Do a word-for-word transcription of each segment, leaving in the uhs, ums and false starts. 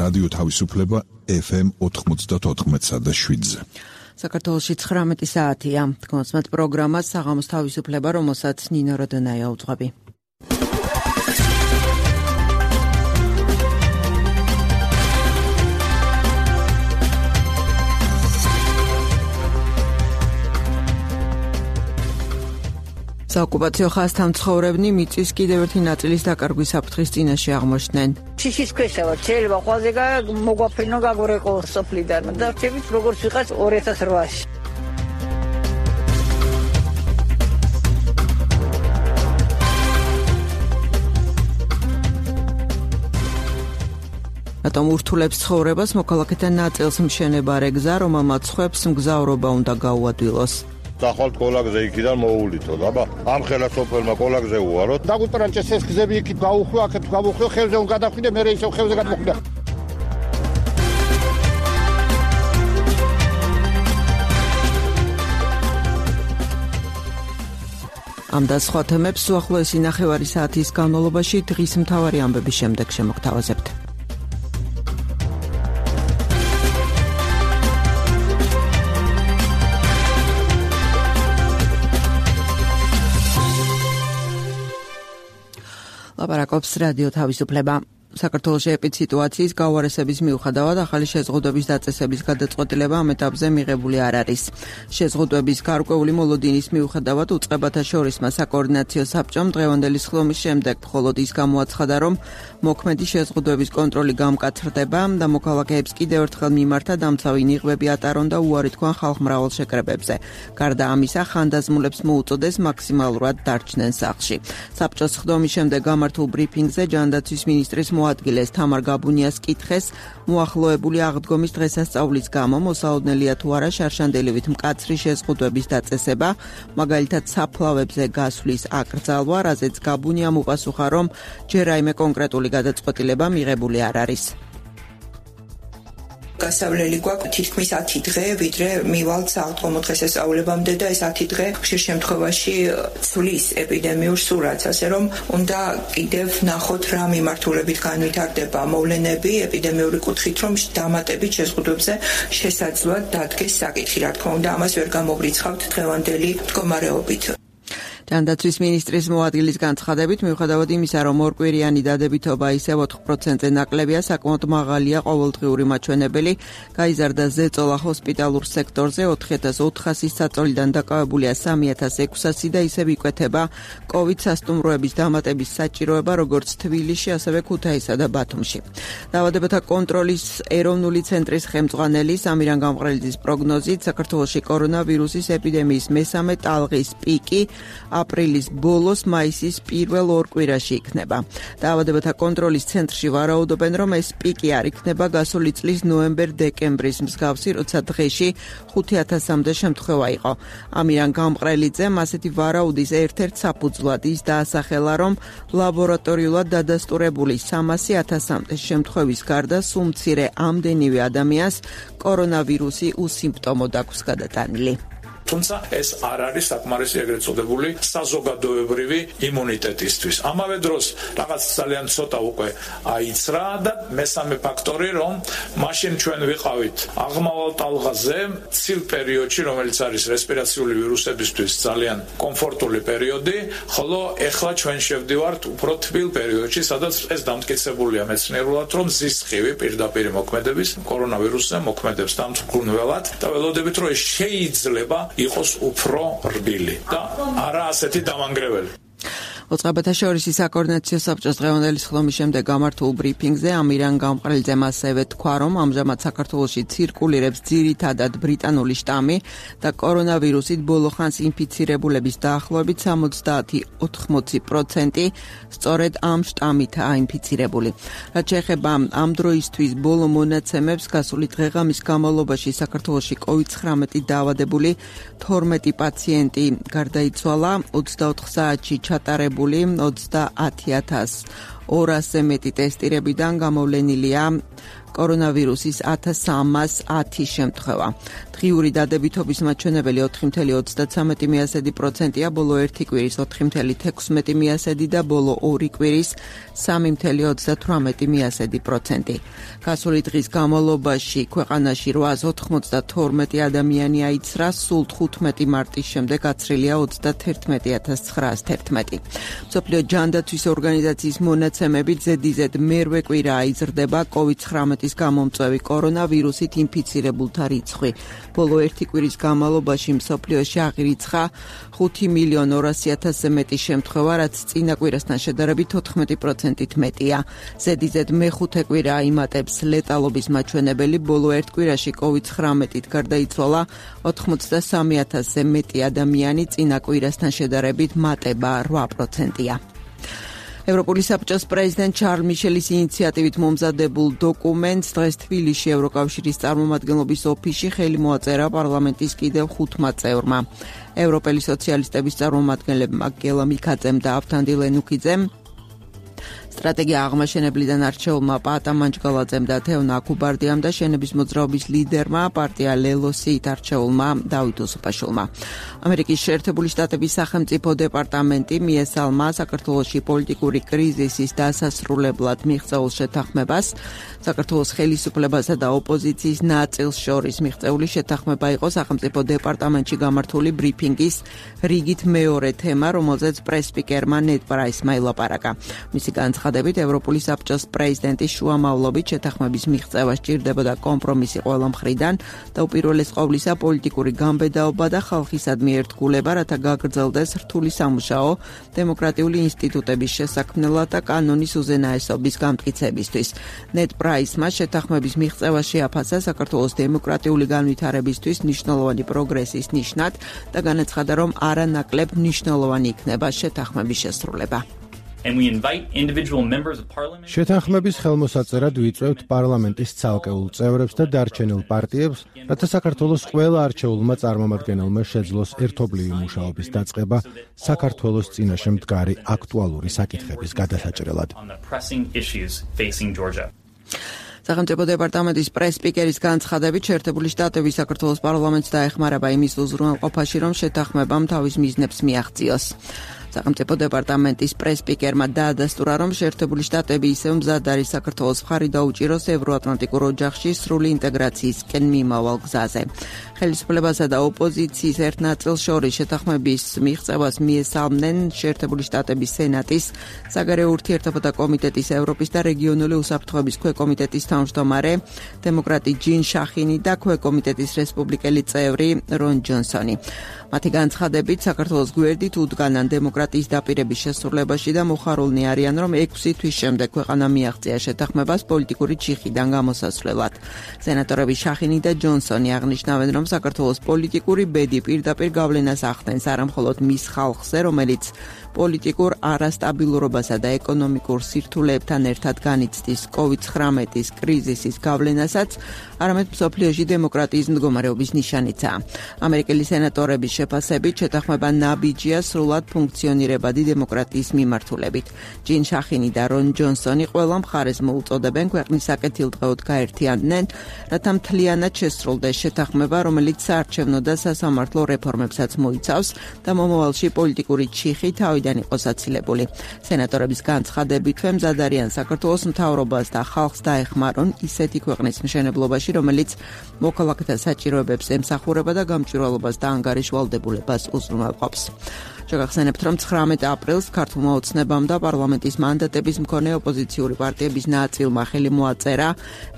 რადიო თავისუფლება ეფ ემ ოთხმოცდაოთხ და შვიდზე. საქართველოში ცხრამეტი საათია. გონსმათ პროგრამას საღამოს თავისუფლება, რომელსაც ნინო როდონაია უძღვები. საოკუპაციო ხაზთან მცხოვრებნი მიწის კიდევ ერთი ნაწილის დაკარგვის საფრთხის წინაშე აღმოჩნდნენ. ციხის ქვეშა ვარ, შეიძლება ყველაზე მოგვაფრინო გაგორეკო სოფლიდან და რჩებით როგორც ვიყავს ორი ათას რვაში. რატომ ურთულებს ცხოვრებას მოქალაქეთა ნაწილს მშენებარე გზა, რომელმაც ხვებს მგზავრობა უნდა გაუადვილოს. ახალ კოლაგზე იქიდან მოულითო და ამ ხელასოფელმა კოლაგზე უარო დაგვიტრანჭეს ეს გზები იქით გაუხვი აქეთ გავუხვი ხელზე უნდა გადახვიდე მე ისევ ხელზე გადმოხვიდე. ამ და სხვა თემებს უახლოესი ნახევარი საათის განმავლობაში დღის მთავარი ამბების შემდეგ შემოგთავაზებთ. ლაპარაკობს რადიო თავისუფლება. საქართველოში ეპიდსიტუაციის გაუარესების მიუხედავად ახალი შეზღუდვების დაწესების გადაწყვეტილება ამ ეტაპზე მიღებული არ არის. შეზღუდვების გარკვეული მოლოდინის მიუხედავად უწყებათა შორისმა საკოორდინაციო საბჭომ დღევანდელი სხდომის შემდეგ მხოლოდ ის გამოაცხადა, რომ მოქმედი შეზღუდვების კონტროლი გამკაცრდება და მოქალაქეებს კიდევ ერთხელ მიმართა დამცავი ნიღბები ატარონ და უარი თქვან ხალხმრავალ შეკრებებზე. გარდა ამისა, ხანდაზმულებს მოუწოდეს მაქსიმალურად დარჩნენ სახლში. საბჭოს სხდომის შემდეგ გამართულ ბრიფინგზე ჯანდაცვის მინისტრის მოადგილეს თამარ გაბუნიას კითხეს მოახლოებული აღდგომის დღესასწაულის გამო მოსაოდნელია თუ არა შარშანდელივით მკაცრი შეზღუდვების დაწესება, მაგალითად საფლავებზე გასვლის აკრძალვა, რაზეც გაბუნიამ უპასუხა, რომ ჯერ რაიმე კონკრეტული გადაწყვეტილება მიღებული არ არის. გასავლელი გვაქვს თითქმის ათი დღე, ვიდრე მივალთ აღდგომო დღესასწაულებამდე და ეს ათი დღე ხშირ შემთხვევაში ცვლის ეპიდემიურ სურათს, ასე რომ უნდა კიდევ ნახოთ რა მიმართულებით განვითარდება მოვლენები ეპიდემიური კუთხით, რომ დამატებით შეზღუდვებზე შესაძლოა დადგეს საკითხი. რა თქმა უნდა, ამას ვერ გამოვრიცხავთ დღევანდელი მდგომარეობით. ჯანდაცვის მინისტრის მოადგილის განცხადებით, მიუხედავად იმისა, რომ ორკვირიანი დადებითობა ისევ ოთხ პროცენტზე ნაკლებია, საკმაოდ მაღალია ყოველდღიური მაჩვენებელი, გაიზარდა ზეწოლა ჰოსპიტალურ სექტორზე ოთხი ათას ოთხასის საწოლიდან დაკავებულია სამი ათას ექვსასი და ისევ იკვეთება კოვიდ სასტუმროების დამატების საჭიროება, როგორც თბილისში, ასევე ქუთაისსა და ბათუმში. დაავადებათა კონტროლის ეროვნული ცენტრის ხელმძღვანელი სამირან გამყრელიძის პროგნოზით, საქართველოში კორონავირუსის ეპიდემიის მესამე ტალღის პიკი აპრილის ბოლოს მაისის პირველ ორ კვირაში იქნება. დაავადებათა კონტროლის ცენტრში ვარაუდობენ, რომ ეს პიკი არ იქნება გასული წლის ნოემბერ-დეკემბრის მსგავსი, როცა დღეში ხუთი ათასამდე შემთხვევა იყო. ამირან გამყრელიძემ ასეთი ვარაუდის ერთ-ერთ საფუძვლად ის დაასახელა, რომ ლაბორატორიულად დადასტურებული სამასი ათასამდე შემთხვევის გარდა სულ მცირე ამდენივე ადამიანს კორონავირუსი უსიმპტომოდ აქვს გადატანილი. თუმცა ეს არ არის საკმარისი ეგრეთ წოდებული საზოგადოებრივი იმუნიტეტისთვის. ამავე დროს რაღაც ძალიან ცოტა უკვე აიცრა და მესამე ფაქტორი, რომ მაშინ ჩვენ ვიყავით აღმავალ ტალღაზე ცილ პერიოდში, რომელიც არის რესპირაციული ვირუსებისთვის ძალიან კომფორტული პერიოდი, ხოლო ეხლა ჩვენ შევდივართ უფრო თბილ პერიოდში, სადაც ეს დამტკიცებულია მეცნიერულად, რომ ზის სხივი პირდაპირ მოქმედების კორონავირუსზე მოქმედებს დამთვრგუნველად და ველოდებით, რომ შეიძლება იყოს უფრო რბილი და არა ასეთი დამანგრეველი. ოწყებათა შორისი საკოორდინაციო საბჭოს დღევანდელი სხდომის შემდეგ გამართულ ბრიფინგზე ამირან გამყრელიძემ ასევე თქვა, რომ ამჟამად საქართველოში ცირკულირებს ძირითადად ბრიტანული შტამი და კორონავირუსით ბოლოხანს ინფიცირებულების დაახლოებით სამოცდაათი ოთხმოცი პროცენტი სწორედ ამ შტამითაა ინფიცირებული. რაც შეეხება ამ დროისთვის ბოლო მონაცემებს, გასული დღეღამის განმავლობაში საქართველოში კოვიდ ცხრამეტი დაავადებული თორმეტი პაციენტი გარდაიცვალა, ოცდაოთხ საათში ჩატარებული ოცდაათი ათას ორასზე მეტი ტესტირებიდან გამოვლენილია კორონავირუსის ათას სამას ათი შემთხვევა. დღიური დადებითობის მაჩვენებელი ოთხი წუთი ოცდათსამეტი პროცენტია, ბოლო ერთი კვირის ოთხი წუთი თექვსმეტი პროცენტი და ბოლო ორი კვირის სამი წუთი ოცდათვრამეტი პროცენტი. გასული დღის განმავლობაში ქვეყანაში რვაას ოთხმოცდათორმეტი ადამიანი აიცრა, სულ თხუთმეტი მარტის შემდეგ გაცრილია ოცდათერთმეტი ათას ცხრაას თერთმეტი. მსოფლიო ჯანდაცვის ორგანიზაციის მონაცემებით ზედიზედ მერვე კვირა იზრდება კოვიდ ცხრამეტის გამომწვევი კორონავირუსით ინფიცირებულთა რიცხვი. ბოლო ერთი კვირის განმავლობაში მსოფლიოში აღირიცხა ხუთი მილიონი ორასი ათასზე მეტი შემთხვევა, რაც წინა კვირასთან შედარებით ოთხმეტი პროცენტით მეტია. ზედიზედ მეხუთე კვირა იმატებს ლეტალობის მაჩვენებელი, ბოლო ერთ კვირაში კოვიდ ცხრამეტით გარდაიცვალა ოთხმოცდასამი ათასზე მეტი ადამიანი, წინა კვირასთან შედარებით მატება რვა პროცენტია. ევროპული საბჭოს პრეზიდენტ ჩარლ მიშელის ინიციატივით მომზადებულ დოკუმენტს დღეს თბილისში ევროკავშირის წარმომადგენლობის ოფისში ხელი მოაწერა პარლამენტის კიდევ ხუთმა წევრმა. ევროპელი სოციალისტების წარმომადგენლებმა გელა მიქაძემ და ავთანდილ ენუქიძემ, სტრატეგია აღმაშენებლიდან არჩეულმა პაატა მანჯგალაძემ და თეონა აკუბარდიამ და შენების მოძრაობის ლიდერმა პარტია ლელოსით არჩეულმა დავით უსუფაშვილმა. ამერიკის შეერთებული შტატების სახელმწიფო დეპარტამენტი მიესალმა საქართველოში პოლიტიკური კრიზისის დასასრულებლად მიღწეულ შეთანხმებას. საქართველოს ხელისუფლებასა და ოპოზიციის ნაწილს შორის მიღწეული შეთანხმება იყო სახელმწიფო დეპარტამენტში გამართული ბრიფინგის რიგით მეორე თემა, რომელზეც პრესსპიკერმა ნედ პრაისმა ელაპარაკა. მისი განცხადებით, ევროპული საბჭოს პრეზიდენტის შუამავლობით შეთანხმების მიღწევა სჭირდებოდა კომპრომისი ყველა მხრიდან და უპირველეს ყოვლისა პოლიტიკური გამბედაობა და ხალხისადმი ერთგულება, რათა გაგრძელდეს რთული სამუშაო დემოკრატიული ინსტიტუტების შესაქმნელად და კანონის უზენაესობის გამტკიცებისთვის. ნედ პრაისმა შეთანხმების მიღწევა შეაფასა საქართველოს დემოკრატიული განვითარებისთვის მნიშვნელოვანი პროგრესის ნიშნად და განაცხადა, რომ არანაკლებ მნიშვნელოვანი იქნება შეთანხმების შესრულება. შეთანხმების ხელმოსაწერად ვიწვევთ პარლამენტის ცალკეულ წევრებს და დარჩენილ პარტიებს, რათა საქართველოს ყველა არჩეულმა წარმომადგენელმა შეძლოს ერთობლივი მუშაობის დაწყება საქართველოს წინაშე მდგარი აქტუალური საკითხების გადასაჭრელად. სახელმწიფო დეპარტამენტის პრესსპიკერის განცხადებით, შეერთებული შტატები საქართველოს პარლამენტს დაეხმარება იმის უზრუნველყოფაში, რომ შეთანხმებამ თავის მიზნებს მიაღწიოს. სახელმწიფო დეპარტამენტის პრესსპიკერმა დაადასტურა, რომ შეერთებული შტატები ისევ მზად არის საქართველოს მხარი დაუჭიროს ევროატლანტიკურ ოჯახში სრული ინტეგრაციისკენ მიმავალ გზაზე. ხელისუფლებასა და ოპოზიციის ერთ ნაწილს შორის შეთანხმების მიღწევას მიესალმნენ შეერთებული შტატების სენატის საგარეო ურთიერთობათა კომიტეტის ევროპის და რეგიონული უსაფრთხოების ქვეკომიტეტის თავმჯდომარე დემოკრატი ჯინ შახინი და ქვეკომიტეტის რესპუბლიკელი წევრი რონ ჯონსონი. მათი განცხადებით, საქართველოს გვერდით უდგანან დემოკრატიის დაპირების შესრულებაში და მოხარულნი არიან, რომ ექვსი თვის შემდეგ ქვეყანა მიაღწია შეთანხმებას პოლიტიკური ჩიხიდან გამოსასვლელად. სენატორები შახინი და ჯონსონი აღნიშნავენ, რომ საქართველოს პოლიტიკური ბედი პირდაპირ გავლენას ახდენს არამხოლოდ მის ხალხზე, რომელიც პოლიტიკურ არასტაბილურობასა და ეკონომიკურ სირთულეებთან ერთად განიცდის კოვიდ ცხრამეტის კრიზისის გავლენასაც, არამედ მსოფლიოში დემოკრატიის მდგომარეობის ნიშანიცაა. ამერიკელი სენატორების შეფასებით შეთანხმება ნაბიჯია სრულად ფუნქციონირებადი დემოკრატიის მიმართულებით. ჯინ შახინი და რონ ჯონსონი ყველა მხარეს მოუწოდებენ ქვეყნის საკეთილდღეოდ გაერთიანდნენ, რათა მთლიანად შესრულდეს შეთანხმება, რომელიც საარჩევნო და სასამართლო რეფორმებსაც მოიცავს და მომავალში პოლიტიკური ჩიხი თავიდან იყოს აცილებული. სენატორების განცხადებით, მზად არიან საქართველოს მთავრობას და ხალხს დაეხმარონ ისეთი ქვეყნის მშენებლობაში, რომელიც მოქალაქეთა საჭიროებებს ემსახურება და გამჭვირვალობას და ანგარიშვალდებულებას უზრუნველყოფს. შეგახსენებთ, რომ ცხრამეტ აპრილს ქართულმა ოცნებამ და პარლამენტის მანდატების მქონე ოპოზიციური პარტიების ნაწილმა ხელი მოაწერა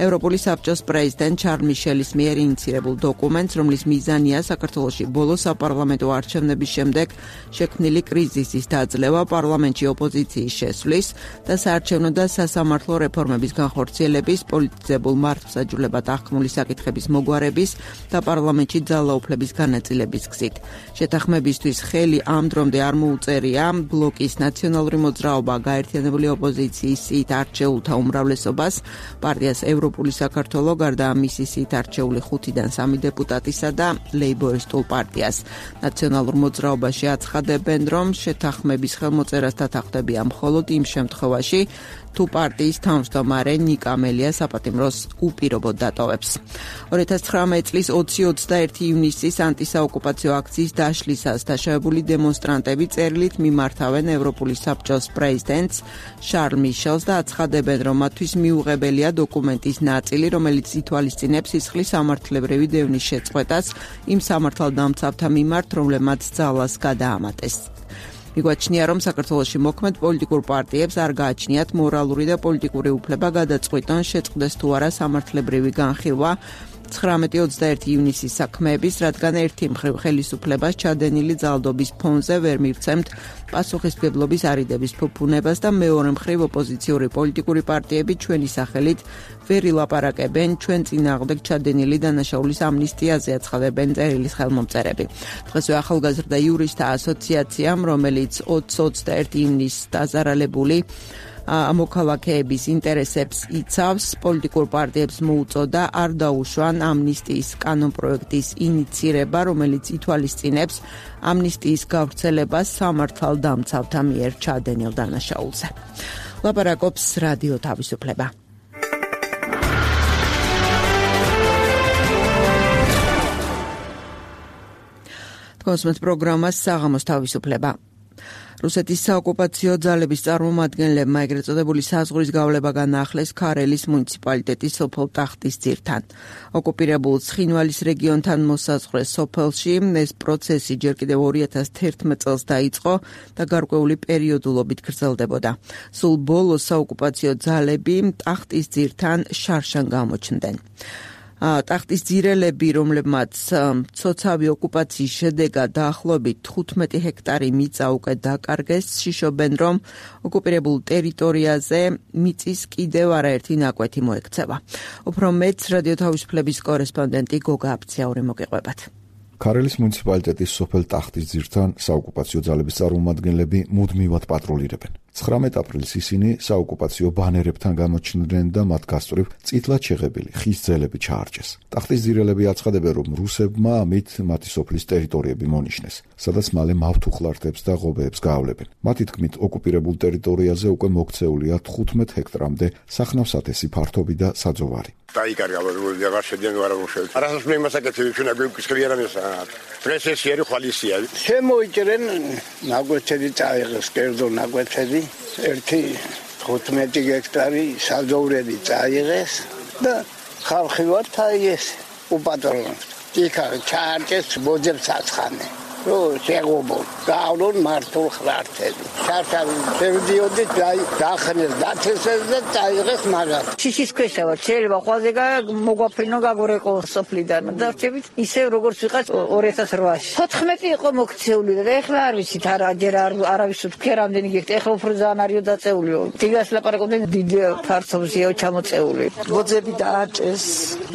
ევროპული საბჭოს პრეზიდენტ ჩარლ მიშელის მიერ ინიცირებულ დოკუმენტს, რომლის მიზანია საქართველოში ბოლო საპარლამენტო არჩევნების შემდეგ შექმნილი კრიზისის დაძლევა, პარლამენტში ოპოზიციის შესვლის და საარჩევნო და სასამართლო რეფორმების განხორციელების, პოლიტიზებულ მართლმსაჯულებად აღქმული საკითხების მოგვარების და პარლამენტში ძალაუფლების განაწილების გზით. შეთანხმებისთვის ხელი ამ დღემდე არ მოუწერია ბლოკის ნაციონალური მოძრაობა გაერთიანებული ოპოზიციის სიით არჩეულთა უმრავლესობას, პარტიას ევროპული საქართველო გარდა მისი სიით არჩეული ხუთიდან სამი დეპუტატისა და ლეიბორისტულ პარტიას. ნაციონალურ მოძრაობაში აცხადებენ, რომ შეთანხმების ხელმოწერას დათანხმდებიან მხოლოდ იმ შემთხვევაში, თუ პარტიის თავმჯდომარე ნიკა მელია საპატიმროს უპირობოდ დატოვებს. ორი ათას ცხრამეტი წლის ოცი ოცდაერთი ივნისის ანტისაოკუპაციო აქციის დაშლისას დაშავებული დემონსტრანტები წერილით მიმართავენ ევროპული საბჭოს პრეზიდენტს შარლ მიშელს და აცხადებენ, რომ მათთვის მიუღებელია დოკუმენტის ნაწილი, რომელიც ითვალისწინებს სისხლის სამართლებრივი დევნის შეწყვეტას იმ სამართალდამცავთა მიმართ, რომლებმაც ძალას გადაამატეს. მიგვაჩნია, რომ საქართველოში მოქმედ პოლიტიკურ პარტიებს არ გააჩნიათ მორალური და პოლიტიკური უფლება გადაწყვიტონ შეწყდეს თუ არა სამართლებრივი განხილვა ცხრამეტი ოცდაერთი ივნისის საქმეების, რადგან ერთი მხრივ ხელისუფლებას ჩადენილი ძალადობის ფონზე ვერ მივცემთ პასუხისმგებლობის არიდების ფუფუნებას და მეორე მხრივ ოპოზიციური პოლიტიკური პარტიები ჩვენი სახელით ვერ ილაპარაკებენ ჩვენ წინააღმდეგ ჩადენილი დანაშაულის ამნისტიაზე, აცხადებენ წერილის ხელმომწერები. დღესვე ახალგაზრდა იურისტთა ასოციაციამ, რომელიც ოცი ოცდაერთი ივნისს დაზარალებული მოქალაქეების ინტერესებს იცავს, პოლიტიკურ პარტიებს მოუწოდა არ დაუშვან ამნისტიის კანონპროექტის ინიცირება, რომელიც ითვალისწინებს ამნისტიის გავრცელებას სამართალდამცავთა მიერ ჩადენილ დანაშაულზე. ლაპარაკობს რადიო თავისუფლება. კონსუმენტ პროგრამას საღამოს თავისუფლება. რუსეთის საოკუპაციო ძალების წარმომადგენლებმა ეგრეთ წოდებული საზღვრის გავლება განაახლეს ქარელის მუნიციპალიტეტის სოფელ ტახტის ძირთან. ოკუპირებულ ცხინვალის რეგიონთან მოსაზღვრე სოფელში ეს პროცესი ჯერ კიდევ ორი ათას თერთმეტ წელს დაიწყო და გარკვეული პერიოდულობით გრძელდებოდა. სულ ბოლოს საოკუპაციო ძალები ტახტის ძირთან შარშან გამოჩნდნენ. ტახტის ძირელები, რომლებმაც ცოცავი ოკუპაციის შედეგად დაახლოებით თხუთმეტი ჰექტარი მიწა უკვე დაკარგეს, შიშობენ, რომ ოკუპირებულ ტერიტორიაზე მიწის კიდევ არაერთი ნაკვეთი მოექცევა. უფრო მეც რადიო თავისუფლების კორესპონდენტი გოგა აფციაური მოგეყვებათ. ქარელის მუნიციპალიტეტის სოფელ ტახტის ძირთან საოკუპაციო ძალების წარმომადგენლები მუდმივად პატრულირებენ. ცხრამეტ აპრილს ისინი საოკუპაციო ბანერებთან გამოჩნდნენ და მათ გასწვრივ წითლად შეღებილი ხის ძელები ჩაარჩეს. ტახტის ძირელები აცხადებენ, რომ რუსებმა ამით მათი სოფლის ტერიტორიები მონიშნეს, სადაც მალე მავთუხლართებს და ღობეებს გაავლებენ. მათი თქმით, ოკუპირებულ ტერიტორიაზე უკვე მოქცეულია თხუთმეტ ჰექტრამდე სახნავსათესი ფართობი და საძოვარი. დაიკარგა როგორი აღარ შედგენ ვარ რუსები. არასდროს მე მასაკეთები ჩვენ აგვიკისხლი არ ამისა. დღეს ეს იერი ხვალისია. შემოიჭრენ ნაგვეთები წაიღეს, კერძო ნაგვეთები, ერთი თხუთმეტი ჰექტარი საძოვრები წაიღეს და ხალხი ვართ აი ეს უპატრონებთ. იქ ჩაარჭეს ბოძებს აცხანენ. რო შეგობო გაავლონ მართულ ხრართები. შარშავი შევდიოდით დაახნეს დათესეს და წაიღეს მაგათ. შიშის ქვეშა ვარ, შეიძლება ხვალზე მოგვაფრინო გაგორეკო სოფლიდან და რჩებით ისევ როგორც ვიყავ ორი ათას რვაში. თოთხმეტი იყო მოქცეული და ეხლა არ ვიცით არა ჯერ არავის თქვი რამდენი გიქთ, ეხლა უფრო ძალიან არისო დაწეულიო. დილას ლაპარაკობდნენ დიდ ფართობზეა ჩამოწეული. ბოძები დააჭეს,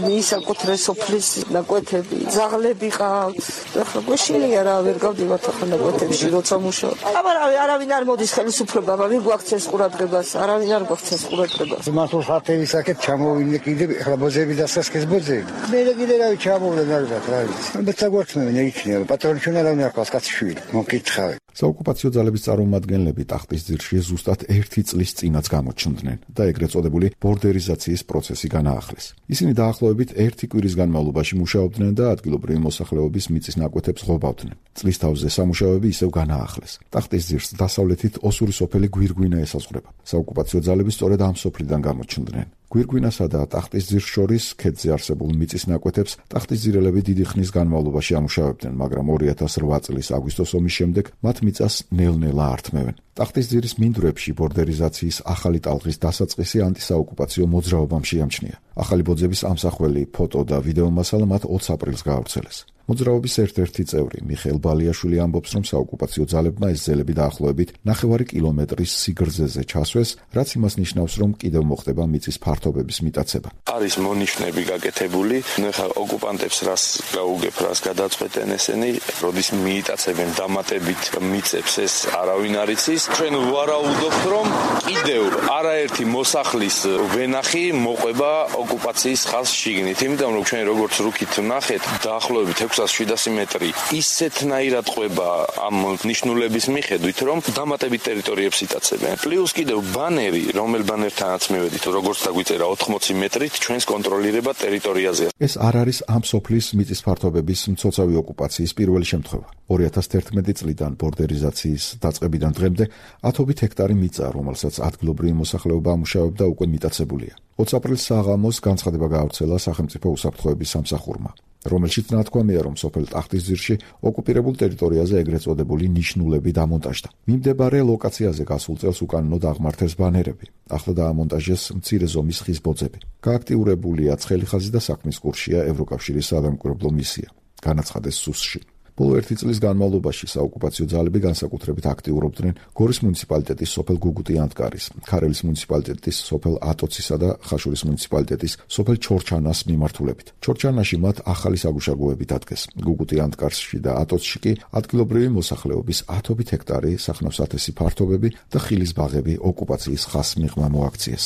მისაკუთრე სოფლის ნაკვეთები, ძაღლები ყავთ. ეხლა გვეშინია რა ვერ გავდივართ ახლა ნაკვეთებში როცა მუშაობ. აბა არავინ არ მოდის ხელისუფლება, ვინ გვაქცეს ყურადღებას, არავინ არ გვაქცეს ყურადღებას. მართულ ხალხების აქეთ ჩამოვიდნენ კიდე ახლა ბოძები დასასკეს ბოძები. მე კიდე რავი ჩამოვიდნენ ალბათ რა ვიცი. ალბათ საგვარცხნევენ იქნება, პატრონი ჩვენ არავინ არ ყავს კაცი შვილი. მოგკითხავი. საოკუპაციო ძალების წარმომადგენლები ტახტის ძირში ზუსტად ერთი წლის წინაც გამოჩნდნენ და ეგრეთ წოდებული ბორდერიზაციის პროცესი განაახლეს. ისინი დაახლოებით ერთი კვირის განმავლობაში მუშაობდნენ და ადგილობრივი მოსახლეობის მიწის ნაკვეთებს ღობავდნენ. წლის თავზე სამუშაოები ისევ განაახლეს. ტახტის ძირს დასავლეთით ოსური სოფელი გვირგვინა ესაზღვრება. საოკუპაციო ძალები სწორედ ამ სოფლიდან გამოჩნდნენ. გვირგვინასა და ტახტის ძირს შორის ქედზე არსებულ მიწის ნაკვეთებს ტახტის ძირელები დიდი ხნის განმავლობაში ამუშავებდნენ, მაგრამ ორი ათას რვა წლის აგვისტოს ომის შემდეგ მათ მიწას ნელ-ნელა ართმევენ. ტახტის ძირის მინდვრებში ბორდერიზაციის ახალი ტალღის დასაწყისი ანტისაოკუპაციო მოძრაობამ შეამჩნია. ახალი ბოძების ამსახველი ფოტო და ვიდეო მასალა მათ ოცი აპრილს გაავრცელეს. მოძრაობის ერთ-ერთი წევრი მიხეილ ბალიაშვილი ამბობს, რომ საოკუპაციო ძალებმა ეს ძელები დაახლოებით ნახევარი კილომეტრის სიგრძეზე ჩასვეს, რაც იმას ნიშნავს, რომ კიდევ მოხდება მიწის ფართობების მიტაცება. არის მონიშნები გაკეთებული, ნახა ოკუპანტებს რას გაუგებ, რას გადაწყვეტენ ესენი, როდის მიიტაცებენ დამატებით მიწებს, ეს არავინ არ იცის. ჩვენ ვარაუდობთ, რომ კიდევ არაერთი მოსახლის ვენახი მოყვება ოკუპაციის ხაზს შიგნით, იმიტომ რომ ჩვენ როგორც რუკით ვნახეთ, დაახლოებით ექვსას შვიდასი მეტრი ისეთნაირად ყვება ამ ნიშნულების მიხედვით, რომ დამატებით ტერიტორიებს იტაცებენ. პლუს კიდევ ბანერი, რომელ ბანერთანაც მივედით, როგორც დაგვიწერა ოთხმოცი მეტრით ჩვენს კონტროლირება ტერიტორიაზე. ეს არ არის ამ სოფლის მიწის ფართობების მცოცავი ოკუპაციის პირველი შემთხვევა. ორი ათას თერთმეტი წლიდან ბორდერიზაციის დაწყებიდან დღემდე ათობით ჰექტარი მიწა, რომელსაც ადგილობრივი მოსახლეობა ამუშავებდა, უკვე მიტაცებულია. ოცი აპრილს საღამოს განცხადება გაავრცელა სახელმწიფო უსაფრთხოების სამსახურმა, რომელშიც ნათქვამია, რომ სოფელ ტახტისძირში ოკუპირებულ ტერიტორიაზე ეგრეთ წოდებული ნიშნულები დამონტაჟდა. მიმდებარე ლოკაციაზე გასულ წელს უკანონოდ აღმართეს ბანერები. ახლა დაამონტაჟეს მცირე ზომის ხის ბოძები. გააქტიურებულია ცხელი ხაზი და საქმის კურსია ევროკავშირის სადამკვირვებლო მისია. განაცხადეს სუსში. ბოლო ერთი წლის განმავლობაში საოკუპაციო ძალები განსაკუთრებით აქტიურობდნენ გორის მუნიციპალიტეტის სოფელ გუგუტი-ანტკარის, ქარელის მუნიციპალიტეტის სოფელ ატოცისა და ხაშურის მუნიციპალიტეტის სოფელ ჩორჩანას მიმართულებით. ჩორჩანაში მათ ახალი საგუშაგოები დადგეს. გუგუტი-ანტკარსში და ატოცში კი ადგილობრივი მოსახლეობის ათობით ჰექტარი სახნავ-სათესი ფართობები და ხილის ბაღები ოკუპაციის ხაზს მიღმა მოაქციეს.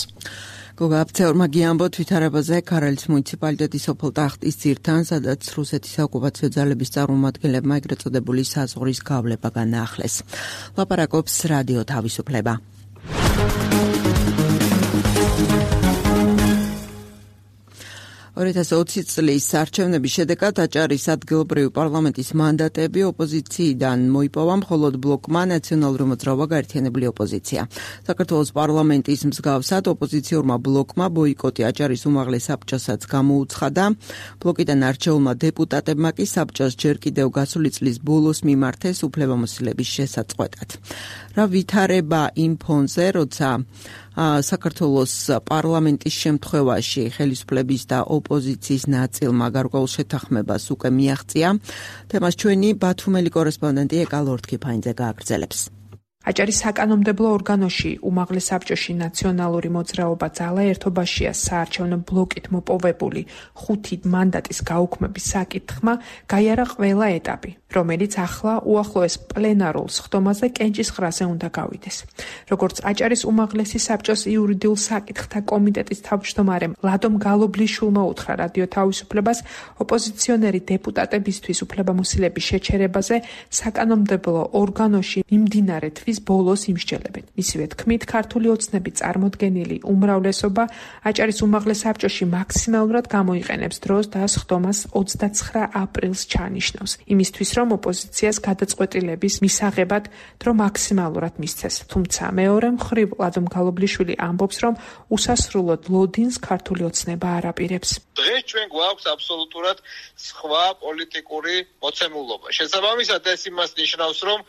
გოგა აფცეორმა გიამბოთ ვითარებაზე ქარელის მუნიციპალიტეტის სოფელ ტახტისძირთან, სადაც რუსეთის საოკუპაციო ძალების წარმომადგენლებმა ეგრეთ წოდებული საზღვრის გავლება განაახლეს. ლაპარაკობს რადიო თავისუფლება. ორი ათას ოცი წლის არჩევნების შედეგად აჭარის ადგილობრივი პარლამენტის მანდატები ოპოზიციიდან მოიპოვა, მხოლოდ ბლოკმა ნაციონალური მოძრაობა გაერთიანებული ოპოზიცია. საქართველოს პარლამენტის მსგავსად ოპოზიციურმა ბლოკმა ბოიკოტი აჭარის უმაღლეს საბჭოსაც გამოუცხადა. ბლოკიდან არჩეულმა დეპუტატებმა კი საბჭოს ჯერ კიდევ გასული წლის ბოლოს მიმართეს უფლებამოსილების შესაწყვეტად. რა ვითარება იმ ფონზე, როცა საქართველოს პარლამენტის შემთხვევაში ხელისუფლების და ოპოზიციის ნაწილმა გარკვეულ შეთანხმებას უკვე მიაღწია. თემას ჩვენი ბათუმელი კორესპონდენტი ეკა ლორთქიფაინძე გააგრძელებს. აჭარის საკანონმდებლო ორგანოში უმაღლეს საბჭოში ნაციონალური მოძრაობა ძალა ერთობაშია საარჩევნო ბლოკით მოპოვებული ხუთი მანდატის გაუქმების საკითხმა გაიარა ყველა ეტაპი, რომელიც ახლა უახლოეს პლენარულ სხდომაზე კენჭისყრაზე უნდა გავიდეს. როგორც აჭარის უმაღლესი საბჭოს იურიდიულ საკითხთა კომიტეტის თავმჯდომარემ ლადომ გალობლიშვილმა უთხრა რადიო თავისუფლებას, ოპოზიციონერი დეპუტატებისთვის უფლებამოსილების შეჩერებაზე საკანონმდებლო ორგანოში მიმდინარე თვის ბოლოს იმსჯელებენ. მისივე თქმით, ქართული ოცნები წარმოდგენილი უმრავლესობა აჭარის უმაღლეს საბჭოში მაქსიმალურად გამოიყენებს დროს და სხდომას ოცდაცხრა აპრილს ჩაანიშნავს. იმისთვის, რომ ოპოზიციას გადაწყვეტილების მისაღებად დრო მაქსიმალურად მისცეს. თუმცა მეორე მხრივ ლადომ გალობლიშვილი ამბობს, რომ უსასრულოდ ლოდინს ქართული ოცნება არ აპირებს. დღეს ჩვენ გვაქვს აბსოლუტურად სხვა პოლიტიკური მოცემულობა. შესაბამისად ეს იმას ნიშნავს, რომ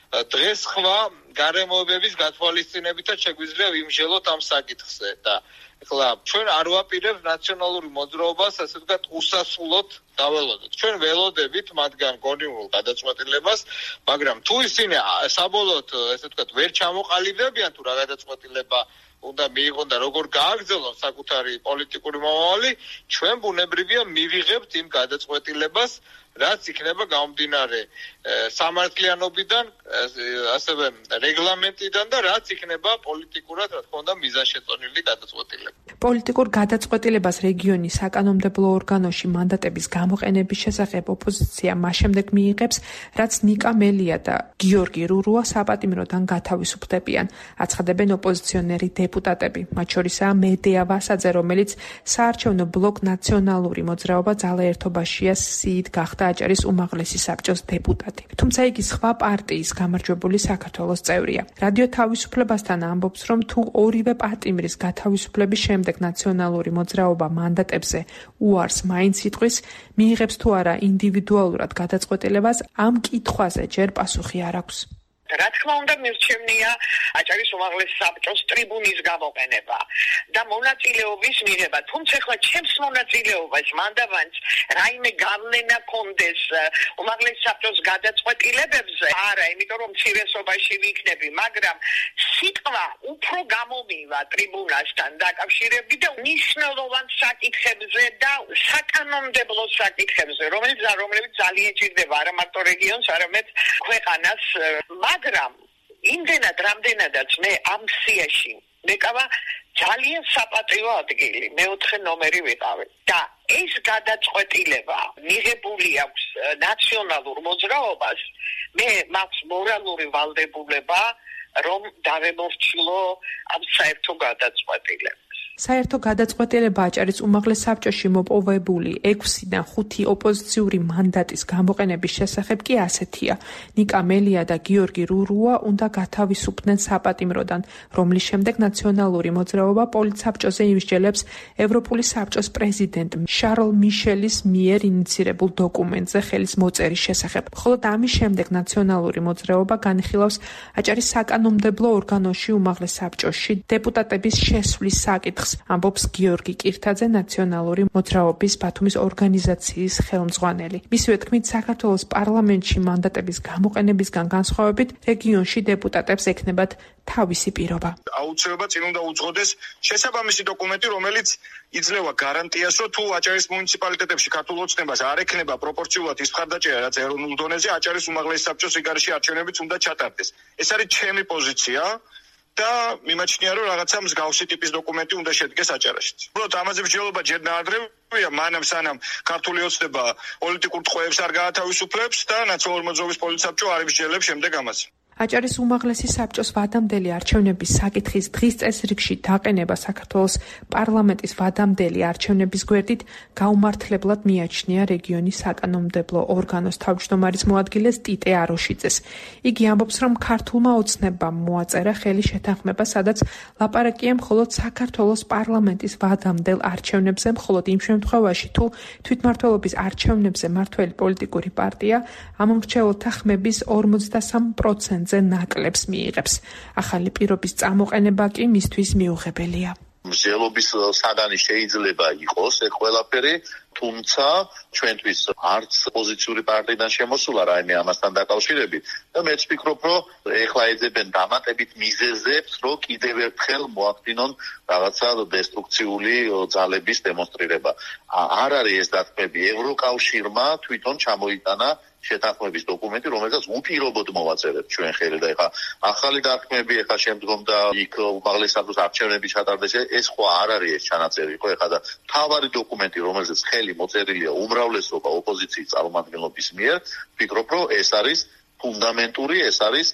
დღეს სხვა გარემოებების გათვალისწინებითაც შეგვიძლია ვიმსჯელოთ ამ საკითხზე და ეხლა ჩვენ არ ვაპირებთ ნაციონალური მოძრაობას ასე ვთქვათ უსასრულოდ დაველოდოთ. ჩვენ ველოდებით მათგან გონივრულ გადაწყვეტილებას, მაგრამ თუ ისინი საბოლოოდ ასე ვთქვათ ვერ ჩამოყალიბდებიან თუ რა გადაწყვეტილება უნდა მიიღონ და როგორ გააგრძელონ საკუთარი პოლიტიკური მომავალი, ჩვენ ბუნებრივია მივიღებთ იმ გადაწყვეტილებას, რაც იქნება გამომდინარე სამართლიანობიდან, ასევე რეგლამენტიდან და რაც იქნება პოლიტიკურად, რა თქმა უნდა, მიზანშეწონილი გადაწყვეტილება. პოლიტიკურ გადაწყვეტილებას რეგიონის საკანონმდებლო ორგანოში მანდატების გამოყენების შესახებ ოპოზიცია მას შემდეგ მიიღებს, რაც ნიკა მელია და გიორგი რურუა საპატიმროდან გათავისუფლდებიან, აცხადებენ ოპოზიციონერი დეპუტატები, მათ შორისაა მედეა ვასაძე, რომელიც საარჩევნო ბლოკ ნაციონალური მოძრაობა ძალა ერთობაშია სიით გახდა აჭარის უმაღლესი საბჭოს დეპუტატი. თუმცა იგი სხვა პარტიის გამარჯვებული საქართველოს წევრია. რადიო თავისუფლებასთან ამბობს, რომ თუ ორივე პატიმრის გათავისუფლების შემდეგ ნაციონალური მოძრაობა მანდატებზე უარს მაინც იტყვის, მიიღებს თუ არა ინდივიდუალურად გადაწყვეტილებას, ამ კითხვაზე ჯერ პასუხი არ აქვს. რა თქმა უნდა მირჩევნია აჭარის უმაღლეს საბჭოს ტრიბუნის გამოყენება და მონაწილეობის მიღება. თუმცა ახლა ჩემს მონაწილეობას მანდავანს რაიმე გავლენა კონდეს უმაღლეს საბჭოს გადაწყვეტილებებზე არა, იმიტომ რომ მცირესობაში ვიქნები, მაგრამ სიტყვა უფრო გამომივა ტრიბუნასთან დაკავშირებით და მნიშვნელოვან საკითხებზე და საკანონმდებლო საკითხებზე, რომელიც რომლებიც ძალიან ჭირდება არა მარტო რეგიონს, არამედ ქვეყანას, მაგრამ იმდენად რამდენადაც მე ამ სიაში მეკავა ძალიან საპატიო ადგილი, მეოთხე ნომერი ვიყავი და ეს გადაწყვეტილება მიღებული აქვს ნაციონალურ მოძრაობას, მე მაქვს მორალური ვალდებულება რომ დავემორჩილო ამ საერთო გადაწყვეტილებას. საერთო გადაწყვეტილება აჭარის უმაღლეს საბჭოში მოპოვებული ექვსიდან ხუთი ოპოზიციური მანდატის გამოყენების შესახებ კი ასეთია. ნიკა მელია და გიორგი რურუა უნდა გათავისუფლდნენ საპატიმროდან, რომლის შემდეგ ნაციონალური მოძრაობა პოლიტსაბჭოზე იმსჯელებს ევროპული საბჭოს პრეზიდენტ შარლ მიშელის მიერ ინიცირებულ დოკუმენტზე ხელის მოწერის შესახებ. ხოლო ამის შემდეგ ნაციონალური მოძრაობა განიხილავს აჭარის საკანონმდებლო ორგანოში უმაღლეს საბჭოში დეპუტატების შესვლის საკითხს. ამბობს გიორგი კირთაძე, ნაციონალური მოძრაობის ბათუმის ორგანიზაციის ხელმძღვანელი. მისივე თქმით, საქართველოს პარლამენტში მანდატების გამოყენებისგან განსხვავებით, რეგიონში დეპუტატებს ექნებათ თავისი პირობა. აუცილებლად წინ უნდა უძღოდეს შესაბამისი დოკუმენტი, რომელიც იძლევა გარანტიას, რომ თუ აჭარის მუნიციპალიტეტებში ქართულ ოცნებას არ ექნება პროპორციულად ის მხარდაჭერა, რაც ეროვნულ დონეზე აჭარის უმაღლესი საბჭოს სიგარში არჩევნებიც უნდა ჩატარდეს. ეს არის ჩემი პოზიცია. და მიმაჩნია რომ რაღაცა მსგავსი ტიპის დოკუმენტი უნდა შედგეს აჭარაშიც. უბრალოდ ამაზე მსჯელობა ჯერ ნაადრევია, მანამ სანამ ქართული ოცნება პოლიტიკურ ტყვეებს არ გაათავისუფლებს და ნაციონალური მოძრაობის პოლიტსაბჭო არ იმსჯელებს შემდეგ ამაზე. აჭარის უმაღლესი საბჭოს ვადამდელი არჩევნების საკითხის დღის წესრიგში დაყენება საქართველოს პარლამენტის ვადამდელი არჩევნების გვერდით გაუმართლებლად მიაჩნია რეგიონის საკანონმდებლო ორგანოს თავმჯდომარის მოადგილეს ტიტე აროშიძეს. იგი ამბობს, რომ ქართულმა ოცნებამ მოაწერა ხელი შეთანხმება, სადაც ლაპარაკია მხოლოდ საქართველოს პარლამენტის ვადამდელ არჩევნებზე, მხოლოდ იმ შემთხვევაში, თუ თვითმმართველობის არჩევნებზე მართველი პოლიტიკური პარტია ამ მრჩეველთა ხმების ორმოცდასამ პროცენტს ნაკლებს მიიღებს. ახალი პირობის წამოყენება კი მისთვის მიუღებელია. მსჯელობის საგანი შეიძლება იყოს ეს ყველაფერი, თუმცა ჩვენთვის არც ოპოზიციური პარტიიდან შემოსულა რაიმე ამასთან დაკავშირებით და მეც ვფიქრობ, რომ ეხლა ეძებენ დამატებით მიზეზებს, რომ კიდევ ერთხელ მოახდინონ რაღაცა დესტრუქციული ძალების დემონსტრირება. არ არის ეს დათმები, ევროკავშირმა თვითონ ჩამოიტანა შეთანხმების დოკუმენტი, რომელსაც უპირობოდ მოვაწერეთ ჩვენ ხელი და ეხა ახალი დათმები, ეხა შემდგომ და იქ უმაღლეს საბჭოს არჩევნები ჩატარდეს, ეს ხო არ არის ეს ჩანაწერი, ხო ეხა და თავარი დოკუმენტი, რომელზეც ხელი მოწერილია უმრავლესობა ოპოზიციის წარმომადგენლობის მიერ, ვფიქრობ, რომ ეს არის ფუნდამენტური, ეს არის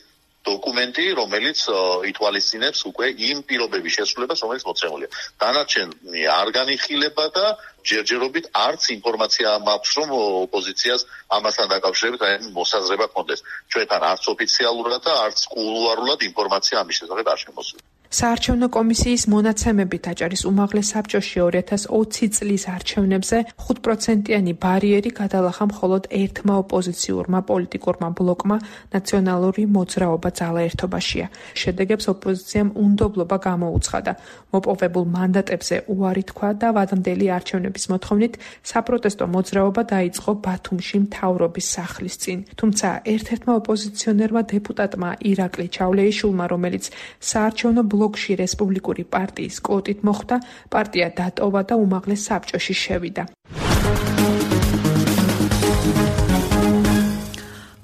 დოკუმენტი, რომელიც ითვალისწინებს უკვე იმ პირობების შესრულებას, რომელიც მოცემულია. დანარჩენი არ განიხილება და ჯერჯერობით არც ინფორმაცია მაქვს, რომ ოპოზიციას ამასთან დაკავშირებით რაიმე მოსაზრება ჰქონდეს. ჩვენთან არც ოფიციალურად და არც კულუარულად ინფორმაცია ამის შესახებ არ შემოსულა. საარჩევნო კომისიის მონაცემებით აჭარის უმაღლეს საბჭოში ორი ათას ოცი წლის არჩევნებზე ხუთ პროცენტიანი ბარიერი გადალახა მხოლოდ ერთმა ოპოზიციურმა პოლიტიკურმა ბლოკმა ნაციონალური მოძრაობა ძალა ერთობაშია. შედეგებს ოპოზიციამ უნდობლობა გამოუცხადა. მოპოვებულ მანდატებზე უარი თქვა და ვადამდელი არჩევნების მოთხოვნით საპროტესტო მოძრაობა დაიწყო ბათუმში მთავრობის სახლის წინ. თუმცა ერთ-ერთმა ოპოზიციონერმა დეპუტატმა ირაკლი ჩავლეიშვილმა, რომელიც საარჩევნო ბლოკში რესპუბლიკური პარტიის კვოტით მოხვდა, პარტია დატოვა და უმაღლეს საბჭოში შევიდა.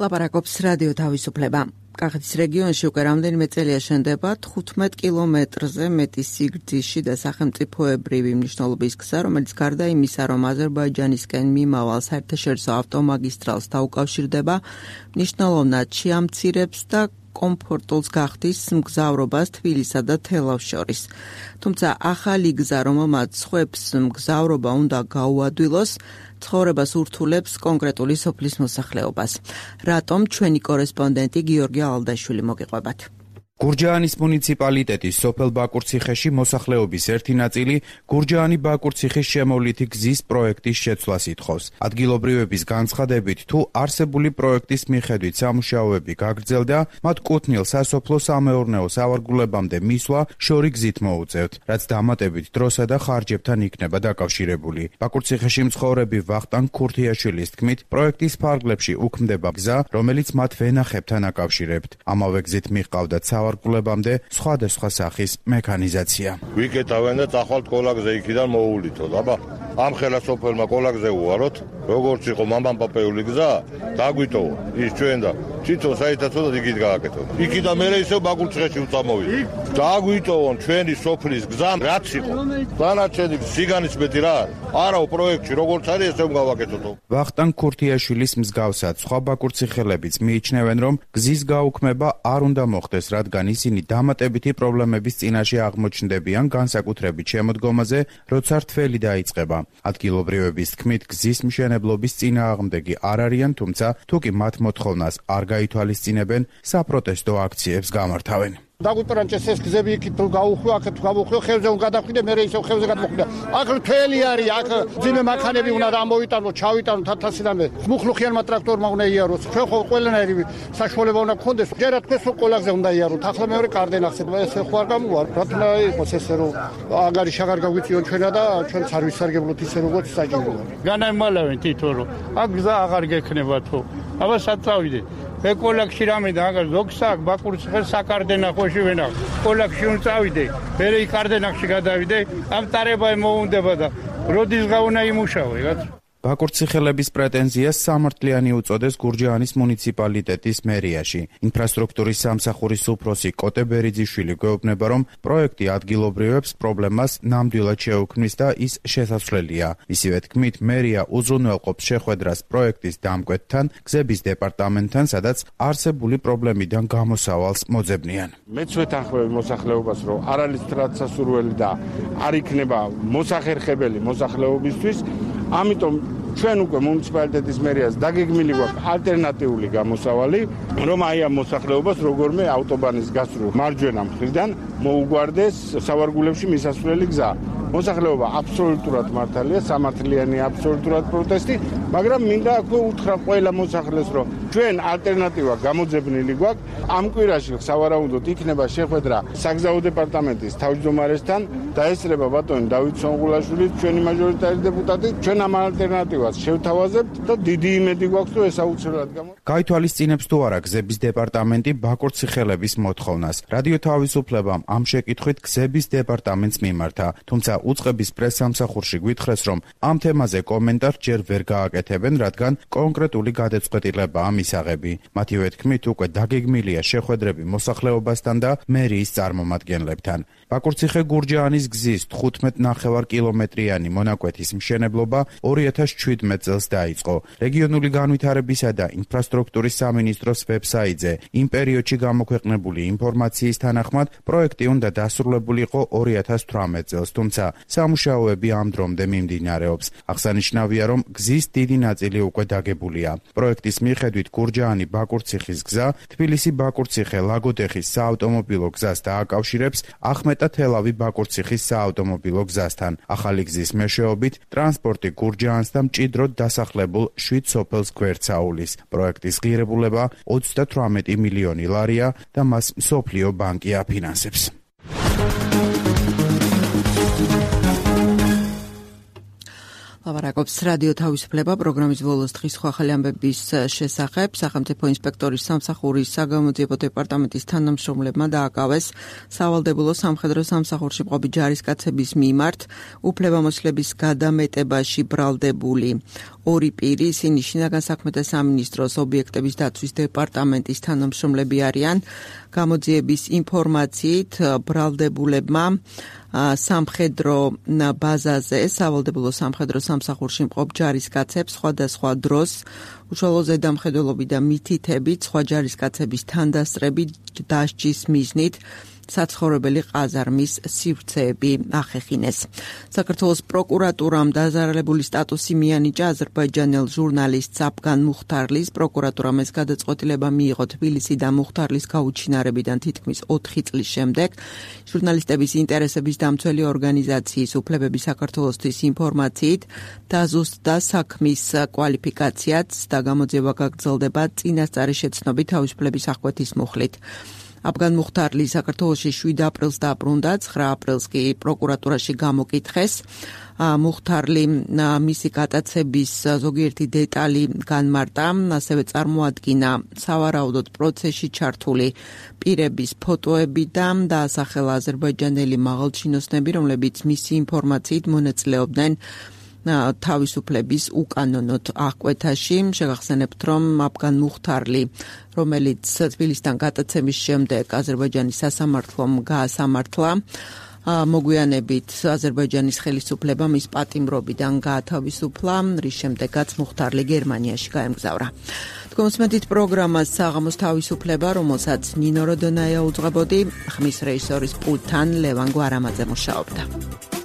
ლაპარაკობს რადიო თავისუფლება. კახეთის რეგიონში უკვე რამდენიმე წელია შენდება თხუთმეტ კილომეტრზე მეტი სიგრძიში და სახელმწიფოებრივი მნიშვნელობის გზა, რომელიც გარდა იმისა, რომ აზერბაიჯანისკენ მიმავალ საერთაშორისო ავტომაგისტრალს დაუკავშირდება, მნიშვნელოვნად შეამცირებს და კომფორტულს გახდის მგზავრობას თბილისსა და თელავს შორის. თუმცა ახალი გზა, რომელმაც სხვებს მგზავრობა უნდა გაუადვილოს, ცხოვრებას ურთულებს კონკრეტული სოფლის მოსახლეობას. რატომ ჩვენი კორესპონდენტი გიორგი ალდაშვილი მოგიყვებათ. გურჯაანის მუნიციპალიტეტის სოფელ ბაკურციხეში მოსახლეობის ერთი ნაწილი გურჯაანი-ბაკურციხის შემოვლითი გზის პროექტის შეცვლას ითხოვს. ადგილობრივების განცხადებით, თუ არსებული პროექტის მიხედვით სამუშაოები გაგრძელდა, მათ კუთვნილ სასოფლო-სამეურნეო სავარგულებამდე მისვლა შორი გზით მოუწევთ, რაც დამატებით დროსა და ხარჯებთან იქნება დაკავშირებული. ბაკურციხეში მცხოვრები ვახტანგ ქურთიაშვილის თქმით, პროექტის ფარგლებში უქმდება გზა, რომელიც მათ ვენახებთან აკავშირებთ. ამავე გზით მიჰყავდათ სავარგულებამდე სხვადასხვა სახის მექანიზაცია. ვიკეტავენ და წახვალთ კოლაგზე იქიდან მოუვლითოთ. აბა, ამ ხელასოფელმა კოლაგზე უვაროთ, როგორც იყო მამამპაპეული გზა, დაგვიტოვა ის ჩვენ და თვითონ საერთოდ იქით გააკეთოთ. იქიდან მერე ისევ ბაკურციხეში უწამოვიდა. დაგვიტოვონ ჩვენი სოფლის გზა, რაც იყო. დანარჩენი სიგანის მეტი რა არის? არაო პროექტში როგორც არის ესე გავაკეთოთ. ვახტანგ ქურთიაშვილის მსგავსად სხვა ბაკურციხელებიც მიიჩნევენ, რომ გზის გაუქმება არ უნდა მოხდეს, რადგან ისინი დამატებითი პრობლემების წინაშე აღმოჩნდებიან განსაკუთრებით შემოდგომაზე, როცა რთველი დაიწყება. ადგილობრივების თქმით, გზის მშენებლობის წინააღმდეგი არ არიან, თუმცა თუ კი მათ მოთხოვნას არ გაითვალისწინებენ, საპროტესტო აქციებს გამართავენ. დაგვიტრანჭეს ეს გზები იქით გაუხვია, აქეთ გავუხვია, ხელზე უნდა გადავხვიდე, მე ისევ ხელზე გადმოხვიდე. აქ მთელი არის, აქ ძიმე მანქანები უნდა ამოვიტანო, ჩავიტანო თათასიდანვე. მუხლუხიანმა ტრაქტორმა უნდა იაროს. ჩვენ ხო ყველანაირი საშუალება უნდა გქონდეს. ჯერა თქვენს კოლაგზე უნდა იაროთ. ახლა მეორე კარდენ ახსენებ, ეს ხო არ გამოვა. რატომ იყოს ესე რომ აგარი შაღარ გაგვიწიონ ჩვენა და ჩვენც არ ვისარგებლოთ ისე როგორც საჭიროა. განაიმალავენ თვითონ რომ აქ გზა აღარ გექნება თუ. აბა საწავიდე. მე კოლაგში რამე და აგარ ზოგსა ბაკურციხეს საკარდენახოში ვენახ. კოლაგში უნდა წავიდე, მე იქ კარდენახში გადავიდე, ამ ტარება მოუნდება და როდის გავუნა იმუშავე, რაც ბაკურციხელების პრეტენზიას სამართლიანი უწოდეს გურჯაანის მუნიციპალიტეტის მერიაში. ინფრასტრუქტურის სამსახურის უფროსი კოტე ბერიძიშვილი გვეუბნება, რომ პროექტი ადგილობრივებს პრობლემას ნამდვილად შეუქმნის და ის შესაძლებელია. ისივე თქმით, მერია უზრუნველყოფს შეხვედრას პროექტის დამკვეთთან, გზების დეპარტამენტთან, სადაც არსებული პრობლემიდან გამოსავალს მოძებნიან. მეც ვეთანხმები მოსახლეობას, რომ არ არის სტრატსასურველი და არ იქნება მოსახერხებელი მოსახლეობისთვის. ამიტომ ჩვენ უკვე მუნიციპალიტეტის მერიას დაგეგმილი გვაქვს ალტერნატიული გამოსავალი, რომ აი ამ მოსახლეობას როგორმე ავტობანის გასწვრივ მარჯვენა მხრიდან მოუგვარდეს სავარგულებში მისასვლელი გზა. მოსახლეობა აბსოლუტურად მართალია, სამართლიანი აბსოლუტურად პროტესტი, მაგრამ მინდა აქვე უთხრა ყველა მოსახლეს, რომ ჩვენ ალტერნატივა გამოძებნილი გვაქვს. ამ კვირაში სავარაუდოდ იქნება შეხვედრა საგზაო დეპარტამენტის თავმჯდომარესთან და ესწრება ბატონი დავით სონღულაშვილი, ჩვენი მაჟორიტარი დეპუტატი. ჩვენ ამ ალტერნატივას შევთავაზებთ და დიდი იმედი გვაქვს, რომ ეს აუცილებლად გამო. გაითვალისწინებს თუ არა გზების დეპარტამენტი ბაკურციხელების მოთხოვნას. რადიო თავისუფლებამ ამ შეკითხვით გზების დეპარტამენტს მიმართა, თუმცა უწყების პრესსამსახურში გვითხრეს, რომ ამ თემაზე კომენტარ ჯერ ვერ გააკეთებენ, რადგან კონკრეტული გადაწყვეტილებაა მისაღები. მათივე თქმით, უკვე დაგეგმილია შეხვედრები მოსახლეობასთან და მერიის წარმომადგენლებთან. ბაკურციხე-გურჯაანის გზის თხუთმეტ ნახევარ კილომეტრიანი მონაკვეთის მშენებლობა ორი ათას შვიდმეტ წელს დაიწყო. რეგიონული განვითარებისა და ინფრასტრუქტურის სამინისტროს ვებსაიტზე იმ პერიოდში გამოქვეყნებული ინფორმაციის თანახმად პროექტი უნდა დასრულებულიყო ორი ათას თვრამეტ წელს, თუმცა სამუშაოები ამ დრომდე მიმდინარეობს. აღსანიშნავია, რომ გზის დიდი ნაწილი უკვე დაგებულია. პროექტის მიხედვით გურჯაანი-ბაკურციხის გზა თბილისი-ბაკურციხე-ლაგოდეხის საავტომობილო გზას დააკავშირებს ახმეტა-თელავი-ბაკურციხის საავტომობილო გზასთან. ახალი გზის მეშვეობით ტრანსპორტი გურჯაანს და მჭიდროდ დასახლებულ შვიდ სოფელს გვერდსაულის. პროექტის ღირებულება ოცდათვრამეტი მილიონი ლარია და მას მსოფლიო ბანკი აფინანსებს. ლაპარაკობს რადიო თავისუფლება პროგრამის ბოლოს დღის ახალი ამბების შესახებ. სახელმწიფო ინსპექტორის სამსახურის საგამოძიებო დეპარტამენტის თანამშრომლებმა დააკავეს სავალდებულო სამხედრო სამსახურში მყოფი ჯარისკაცების მიმართ უფლებამოსილების გადამეტებაში ბრალდებული ორი პირი. ისინი შინაგან საქმეთა სამინისტროს ობიექტების დაცვის დეპარტამენტის თანამშრომლები არიან. გამოძიების ინფორმაციით ბრალდებულებმა სამხედრო ბაზაზე სავალდებულო სამხედრო სამსახურში მყოფ ჯარისკაცებს სხვადასხვა დროს უშუალო ზედამხედველობით და მითითებით სხვა ჯარისკაცების თანდასწრებით დასჯის მიზნით საცხოვრებელი ყაზარმის სივრცეები ახეხინეს. საქართველოს პროკურატურამ დაზარალებული სტატუსი მიანიჭა აზერბაიჯანელ ჟურნალისტ აფგან მუხთარლის. პროკურატურამ ეს გადაწყვეტილება მიიღო თბილისი და მუხთარლის გაუჩინარებიდან თითქმის ოთხი წლის შემდეგ. ჟურნალისტების ინტერესების დამცველი ორგანიზაციის უფლებები საქართველოსთვის ინფორმაციით დაზუსტდა საქმის კვალიფიკაციაც და გამოძიება გაგრძელდება წინასწარი შეცნობით თავისუფლების აღკვეთის მუხლით. აფგან მუხთარლი საქართველოში შვიდ აპრილს დაბრუნდა, ცხრა აპრილს კი პროკურატურაში გამოკითხეს. მუხთარლი მისი გატაცების ზოგიერთი დეტალი განმარტა, ასევე წარმოადგინა სავარაუდოდ პროცესში ჩართული პირების ფოტოები და დაასახელა აზერბაიჯანელი მაღალჩინოსნები, რომლებიც მისი ინფორმაციით მონაწილეობდნენ თავისუფლების უკანონოდ აღკვეთაში. შეგახსენებთ, რომ აფგან მუხთარლი, რომელიც თბილისთან გატაცების შემდეგ აზერბაიჯანის სასამართლომ გაასამართლა, მოგვიანებით აზერბაიჯანის ხელისუფლება მის პატიმრობიდან გაათავისუფლა, რის შემდეგაც მუხთარლი გერმანიაში გაემგზავრა. თქვენს პროგრამას საღამოს თავისუფლება, რომელსაც ნინო როდონაია უძღვებოდი, ხმის რეჟისორის პულტთან ლევან გვარამაძე მუშაობდა.